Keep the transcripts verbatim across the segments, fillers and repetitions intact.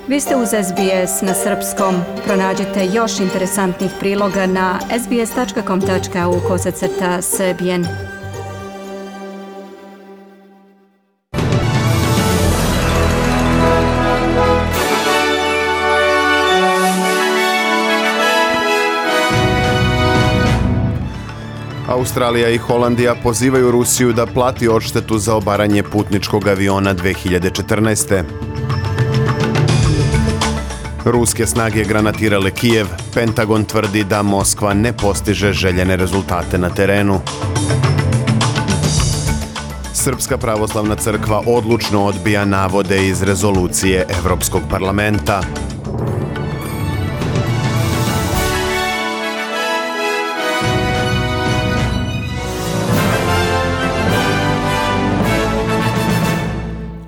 Vi ste uz S B S na srpskom. Pronađite još interesantnih priloga na sbs.com tačka au kosacrta srbijen. Australija i Holandija pozivaju Rusiju da plati odštetu za obaranje putničkog aviona dve hiljade četrnaeste. Ruske snage granatirale Kijev. Pentagon tvrdi da Moskva ne postiže željene rezultate na terenu. Srpska pravoslavna crkva odlučno odbija navode iz rezolucije Evropskog parlamenta.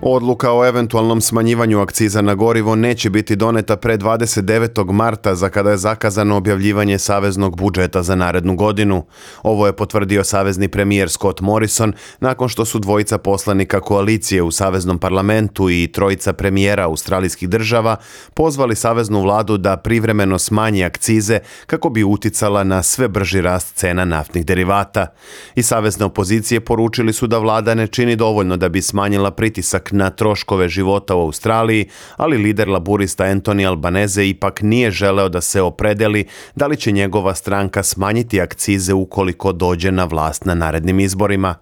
Odluka o eventualnom smanjivanju akciza na gorivo neće biti doneta pre dvadeset devetog marta, za kada je zakazano objavljivanje saveznog budžeta za narednu godinu. Ovo je potvrdio savezni premijer Scott Morrison nakon što su dvojica poslanika koalicije u saveznom parlamentu i trojica premijera australijskih država pozvali saveznu vladu da privremeno smanji akcize kako bi uticala na sve brži rast cena naftnih derivata. I savezne opozicije poručili su da vlada ne čini dovoljno da bi smanjila pritisak na troškove života u Australiji, ali lider laburista Anthony Albanese ipak nije želeo da se opredeli da li će njegova stranka smanjiti akcize ukoliko dođe na vlast na narednim izborima.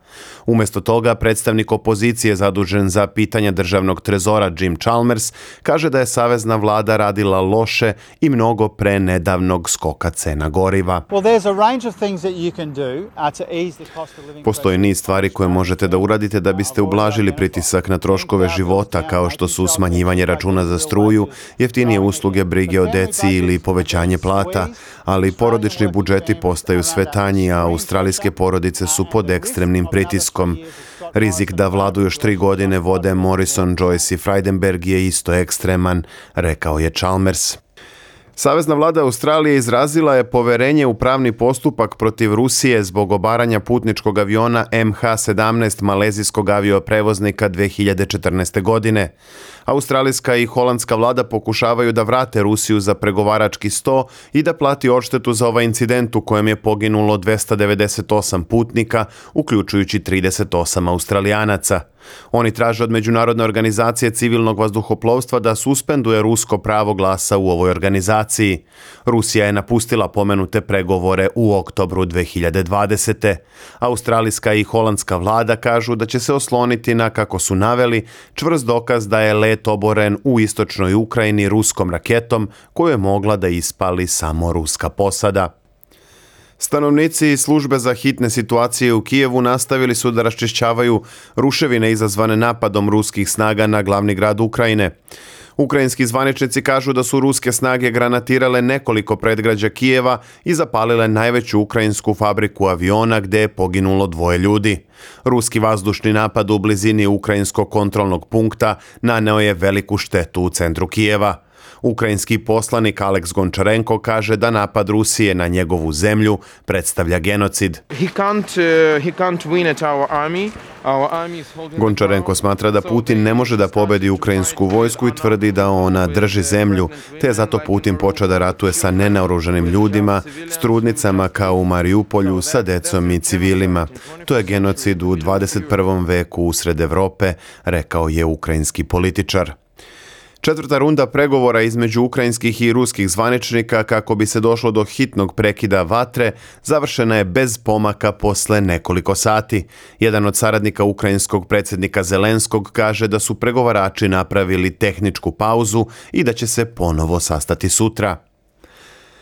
Umjesto toga, predstavnik opozicije zadužen za pitanja državnog trezora Jim Chalmers kaže da je savezna vlada radila loše i mnogo pre nedavnog skoka cena goriva. Postoji niz stvari koje možete da uradite da biste ublažili pritisak na troškove života, kao što su smanjivanje računa za struju, jeftinije usluge brige o deci ili povećanje plata, ali porodični budžeti postaju sve tanji, a australijske porodice su pod ekstremnim pritiskom. Rizik da vladu još tri godine vode Morrison, Joyce i Frydenberg je isto ekstreman, rekao je Chalmers. Savezna vlada Australije izrazila je poverenje u pravni postupak protiv Rusije zbog obaranja putničkog aviona M H sedamnaest malezijskog avioprevoznika dve hiljade četrnaeste. godine. Australijska i holandska vlada pokušavaju da vrate Rusiju za pregovarački sto i da plati odštetu za ovaj incident u kojem je poginulo dvesta devedeset osam putnika, uključujući trideset osam Australijanaca. Oni traže od Međunarodne organizacije civilnog vazduhoplovstva da suspenduje rusko pravo glasa u ovoj organizaciji. Rusija je napustila pomenute pregovore u oktobru dve hiljade dvadesete. Australijska i holandska vlada kažu da će se osloniti na, kako su naveli, čvrst dokaz da je let oboren u istočnoj Ukrajini ruskom raketom koju je mogla da ispali samo ruska posada. Stanovnici i službe za hitne situacije u Kijevu nastavili su da raščišćavaju ruševine izazvane napadom ruskih snaga na glavni grad Ukrajine. Ukrajinski zvaničnici kažu da su ruske snage granatirale nekoliko predgrađa Kijeva i zapalile najveću ukrajinsku fabriku aviona gdje je poginulo dvoje ljudi. Ruski vazdušni napad u blizini ukrajinskog kontrolnog punkta naneo je veliku štetu u centru Kijeva. Ukrajinski poslanik Aleks Gončarenko kaže da napad Rusije na njegovu zemlju predstavlja genocid. Gončarenko smatra da Putin ne može da pobedi ukrajinsku vojsku i tvrdi da ona drži zemlju, te je zato Putin počeo da ratuje sa nenaoružanim ljudima, s trudnicama kao u Mariupolju, sa decom i civilima. To je genocid u dvadeset prvom veku usred Evrope, rekao je ukrajinski političar. Četvrta runda pregovora između ukrajinskih i ruskih zvaničnika kako bi se došlo do hitnog prekida vatre završena je bez pomaka posle nekoliko sati. Jedan od saradnika ukrajinskog predsjednika Zelenskog kaže da su pregovarači napravili tehničku pauzu i da će se ponovo sastati sutra.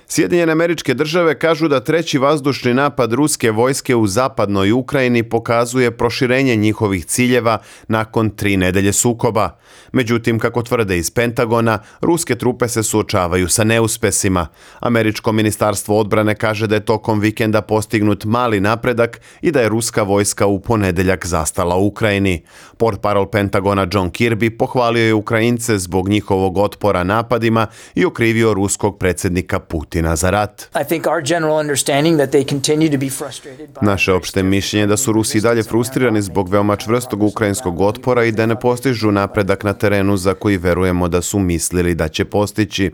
Sjedinjene Američke Države kažu da treći vazdušni napad ruske vojske u zapadnoj Ukrajini pokazuje proširenje njihovih ciljeva nakon tri nedelje sukoba. Međutim, kako tvrde iz Pentagona, ruske trupe se suočavaju sa neuspesima. Američko ministarstvo odbrane kaže da je tokom vikenda postignut mali napredak i da je ruska vojska u ponedeljak zastala u Ukrajini. Portparol Pentagona John Kirby pohvalio je Ukrajince zbog njihovog otpora napadima i okrivio ruskog predsjednika Putina Putina za rat. Naše opšte mišljenje je da su Rusi dalje frustrirani zbog veoma čvrstog ukrajinskog otpora i da ne postižu napredak na terenu za koji verujemo da su mislili da će postići.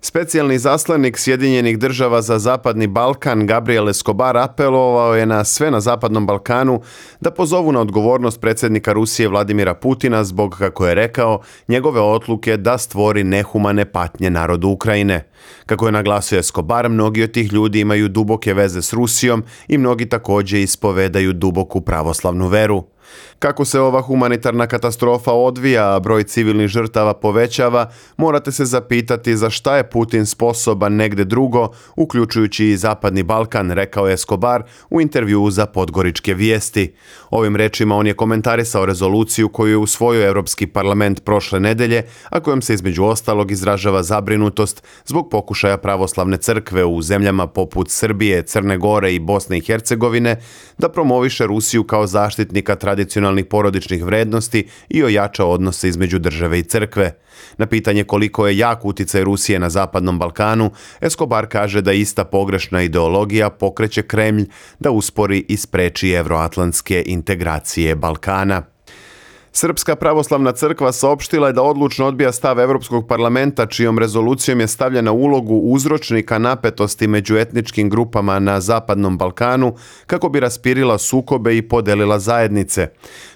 Specijalni zaslanik Sjedinjenih država za Zapadni Balkan Gabriel Escobar apelovao je na sve na Zapadnom Balkanu da pozovu na odgovornost predsjednika Rusije Vladimira Putina zbog, kako je rekao, njegove odluke da stvori nehumane patnje narodu Ukrajine. Kako je naglasio Escobar, mnogi od tih ljudi imaju duboke veze s Rusijom i mnogi također ispovedaju duboku pravoslavnu veru. Kako se ova humanitarna katastrofa odvija, a broj civilnih žrtava povećava, morate se zapitati za šta je Putin sposoban negde drugo, uključujući i Zapadni Balkan, rekao je Escobar u intervjuu za Podgoričke vijesti. Ovim rečima on je komentarisao rezoluciju koju je usvojio Europski parlament prošle nedelje, a kojom se između ostalog izražava zabrinutost zbog pokušaja pravoslavne crkve u zemljama poput Srbije, Crne Gore i Bosne i Hercegovine da promoviše Rusiju kao zaštitnika tradicionalnih porodičnih vrednosti i ojača odnose između države i crkve. Na pitanje koliko je jak uticaj Rusije na Zapadnom Balkanu, Escobar kaže da ista pogrešna ideologija pokreće Kremlj da uspori i spreči evroatlantske integracije Balkana. Srpska pravoslavna crkva saopštila je da odlučno odbija stav Europskog parlamenta čijom rezolucijom je stavljena ulogu uzročnika napetosti među etničkim grupama na Zapadnom Balkanu kako bi raspirila sukobe i podelila zajednice.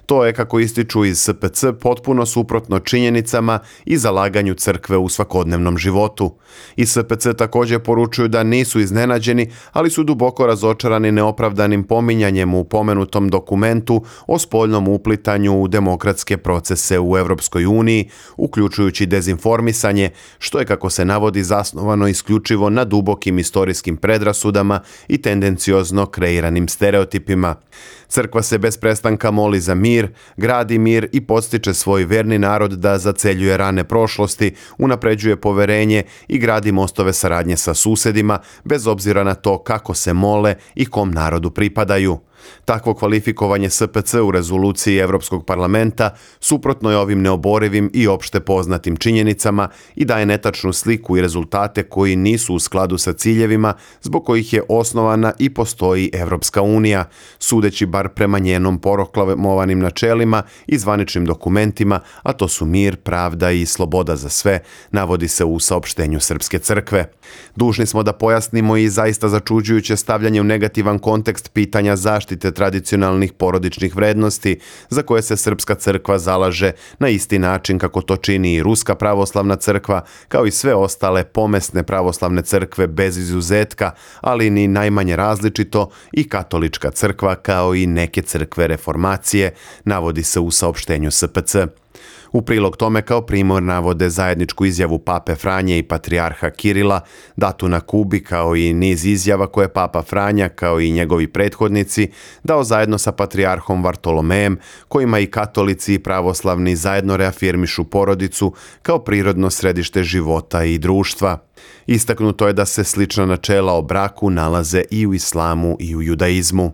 To je, kako ističu iz S P C, potpuno suprotno činjenicama i zalaganju crkve u svakodnevnom životu. I S P C također poručuju da nisu iznenađeni, ali su duboko razočarani neopravdanim pominjanjem u pomenutom dokumentu o spoljnom uplitanju u demokratske procese u Europskoj uniji, uključujući dezinformisanje, što je, kako se navodi, zasnovano isključivo na dubokim istorijskim predrasudama i tendenciozno kreiranim stereotipima. Crkva se bez prestanka moli za mir, gradi mir i podstiče svoj verni narod da zaceljuje rane prošlosti, unapređuje poverenje i gradi mostove saradnje sa susedima, bez obzira na to kako se mole i kom narodu pripadaju. Takvo kvalifikovanje S P C u rezoluciji Europskog parlamenta suprotno je ovim neoborivim i opšte poznatim činjenicama i daje netačnu sliku i rezultate koji nisu u skladu sa ciljevima zbog kojih je osnovana i postoji Evropska unija, sudeći bar prema njenom proklamovanim načelima i zvaničnim dokumentima, a to su mir, pravda i sloboda za sve, navodi se u saopštenju Srpske crkve. Dužni smo da pojasnimo i zaista začuđujuće stavljanje u negativan kontekst pitanja zaštite tradicionalnih porodičnih vrednosti za koje se Srpska crkva zalaže na isti način kako to čini i Ruska pravoslavna crkva, kao i sve ostale pomesne pravoslavne crkve bez izuzetka, ali ni najmanje različito i katolička crkva kao i neke crkve reformacije, navodi se u saopštenju S P C. U prilog tome kao primjer navode zajedničku izjavu Pape Franje i patrijarha Kirila, datu na Kubi, kao i niz izjava koje Papa Franja, kao i njegovi prethodnici, dao zajedno sa patrijarhom Vartolomejem, kojima i katolici i pravoslavni zajedno reafirmišu porodicu kao prirodno središte života i društva. Istaknuto je da se slična načela o braku nalaze i u islamu i u judaizmu.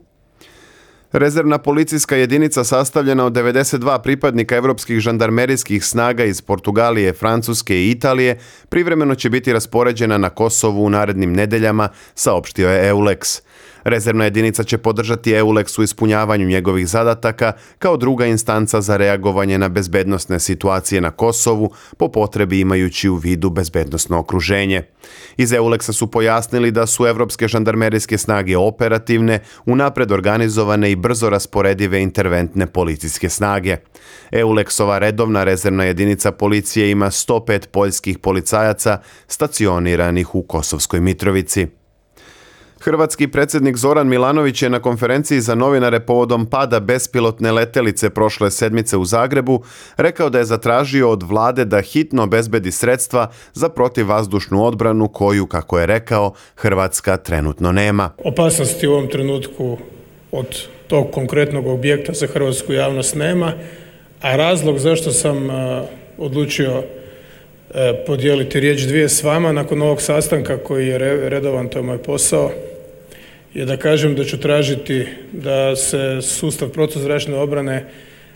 Rezervna policijska jedinica sastavljena od devedeset dva pripadnika evropskih žandarmerijskih snaga iz Portugalije, Francuske i Italije privremeno će biti raspoređena na Kosovu u narednim nedeljama, saopštio je EULEX. Rezervna jedinica će podržati EULEX u ispunjavanju njegovih zadataka kao druga instanca za reagovanje na bezbednosne situacije na Kosovu, po potrebi imajući u vidu bezbednosno okruženje. Iz EULEX-a su pojasnili da su evropske žandarmerijske snage operativne, unapred organizovane i brzo rasporedive interventne policijske snage. EULEX-ova redovna rezervna jedinica policije ima sto pet poljskih policajaca stacioniranih u Kosovskoj Mitrovici. Hrvatski predsjednik Zoran Milanović je na konferenciji za novinare povodom pada bespilotne letelice prošle sedmice u Zagrebu rekao da je zatražio od vlade da hitno obezbedi sredstva za protivvazdušnu odbranu koju, kako je rekao, Hrvatska trenutno nema. Opasnosti u ovom trenutku od tog konkretnog objekta za hrvatsku javnost nema, a razlog zašto sam odlučio podijeliti riječ dvije s vama nakon ovog sastanka koji je redovan, to je moj posao, je da kažem da ću tražiti da se sustav protuzračne obrane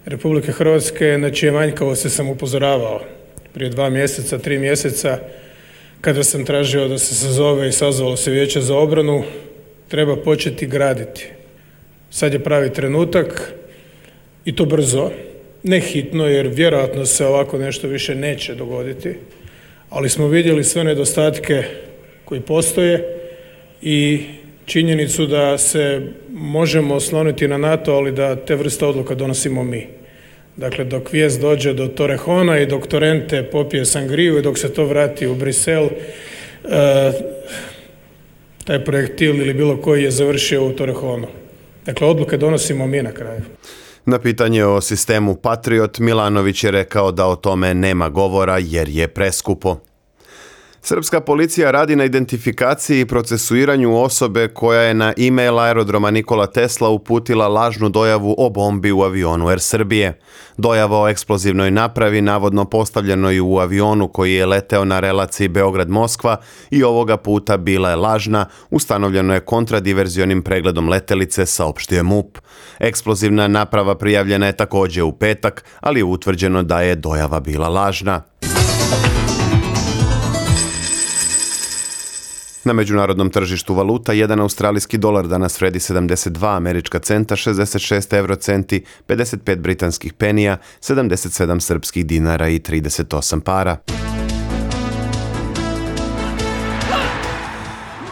Republike Hrvatske, na čije manjkavosti sam upozoravao prije dva mjeseca, tri mjeseca, kada sam tražio da se sazove i sazvalo se Vijeće za obranu, treba početi graditi. Sad je pravi trenutak i to brzo, ne hitno jer vjerojatno se ovako nešto više neće dogoditi, ali smo vidjeli sve nedostatke koji postoje i činjenicu da se možemo osloniti na NATO, ali da te vrste odluka donosimo mi. Dakle, dok vijest dođe do Torrejona i dok Torrente popije sangriju i dok se to vrati u Brisel, e, taj projektil ili bilo koji je završio u Torrejonu. Dakle, odluke donosimo mi na kraju. Na pitanje o sistemu Patriot, Milanović je rekao da o tome nema govora jer je preskupo. Srpska policija radi na identifikaciji i procesuiranju osobe koja je na e-mail aerodroma Nikola Tesla uputila lažnu dojavu o bombi u avionu Air Srbije. Dojava o eksplozivnoj napravi navodno postavljenoj u avionu koji je leteo na relaciji Beograd-Moskva i ovoga puta bila je lažna, ustanovljeno je kontradiverzionim pregledom letelice, saopštio MUP. Eksplozivna naprava prijavljena je također u petak, ali je utvrđeno da je dojava bila lažna. Na međunarodnom tržištu valuta jedan australijski dolar danas vredi sedamdeset dva američka centa, šezdeset šest eurocenti, pedeset pet britanskih penija, sedamdeset sedam srpskih dinara i trideset osam para.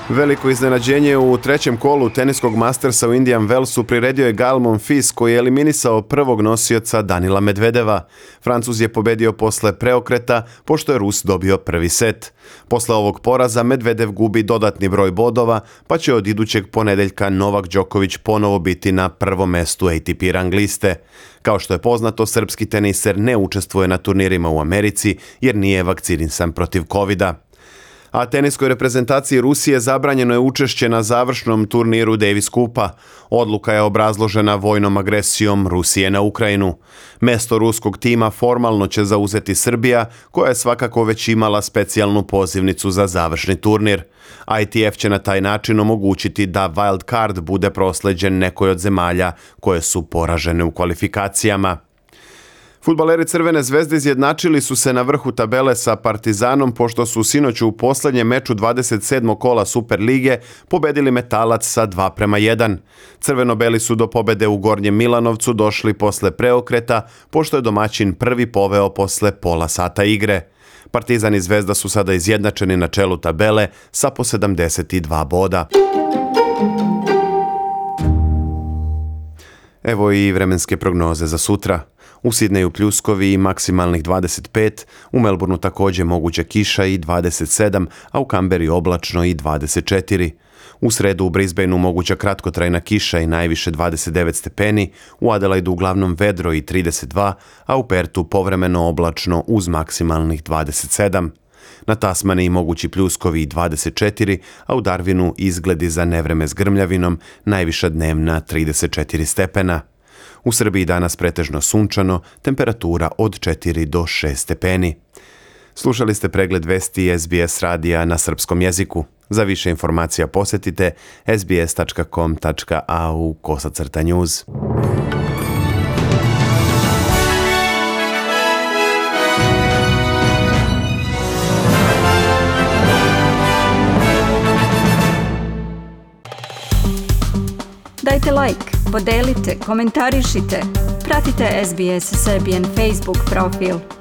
Veliko iznenađenje u trećem kolu teniskog Mastersa u Indian Wellsu priredio je Gael Monfils koji je eliminisao prvog nosioca Danila Medvedeva. Francuz je pobedio posle preokreta pošto je Rus dobio prvi set. Posle ovog poraza Medvedev gubi dodatni broj bodova pa će od idućeg ponedeljka Novak Đoković ponovo biti na prvom mestu A T P rang liste. Kao što je poznato, srpski teniser ne učestvuje na turnirima u Americi jer nije vakcinisan protiv kovida. A teniskoj reprezentaciji Rusije zabranjeno je učešće na završnom turniru Davis Kupa. Odluka je obrazložena vojnom agresijom Rusije na Ukrajinu. Mesto ruskog tima formalno će zauzeti Srbija, koja je svakako već imala specijalnu pozivnicu za završni turnir. I T F će na taj način omogućiti da wild card bude prosleđen nekoj od zemalja koje su poražene u kvalifikacijama. Fudbaleri Crvene zvezde izjednačili su se na vrhu tabele sa Partizanom pošto su sinoć u posljednjem meču dvadeset sedmog kola Super lige pobedili Metalac sa dva prema jedan. Crveno-beli su do pobede u Gornjem Milanovcu došli posle preokreta pošto je domaćin prvi poveo posle pola sata igre. Partizan i Zvezda su sada izjednačeni na čelu tabele sa po sedamdeset dva boda. Evo i vremenske prognoze za sutra. U Sidneju pljuskovi i maksimalnih dvadeset pet, u Melbourneu također moguća kiša i dvadeset sedam, a u Kamberi oblačno i dvadeset četiri. U sredu u Brisbaneu moguća kratkotrajna kiša i najviše dvadeset devet stepeni, u Adelaidu uglavnom vedro i trideset dva, a u Pertu povremeno oblačno uz maksimalnih dvadeset sedam. Na Tasmaniji mogući pljuskovi i dvadeset četiri, a u Darwinu izgledi za nevreme s grmljavinom, najviša dnevna trideset četiri stepena. U Srbiji danas pretežno sunčano, temperatura od četiri do šest stepeni. Slušali ste pregled vesti S B S radija na srpskom jeziku. Za više informacija posjetite s b s tačka com tačka a u kosacrta news. Dajte like, podelite, komentarišite, pratite S B S Serbian Facebook profil.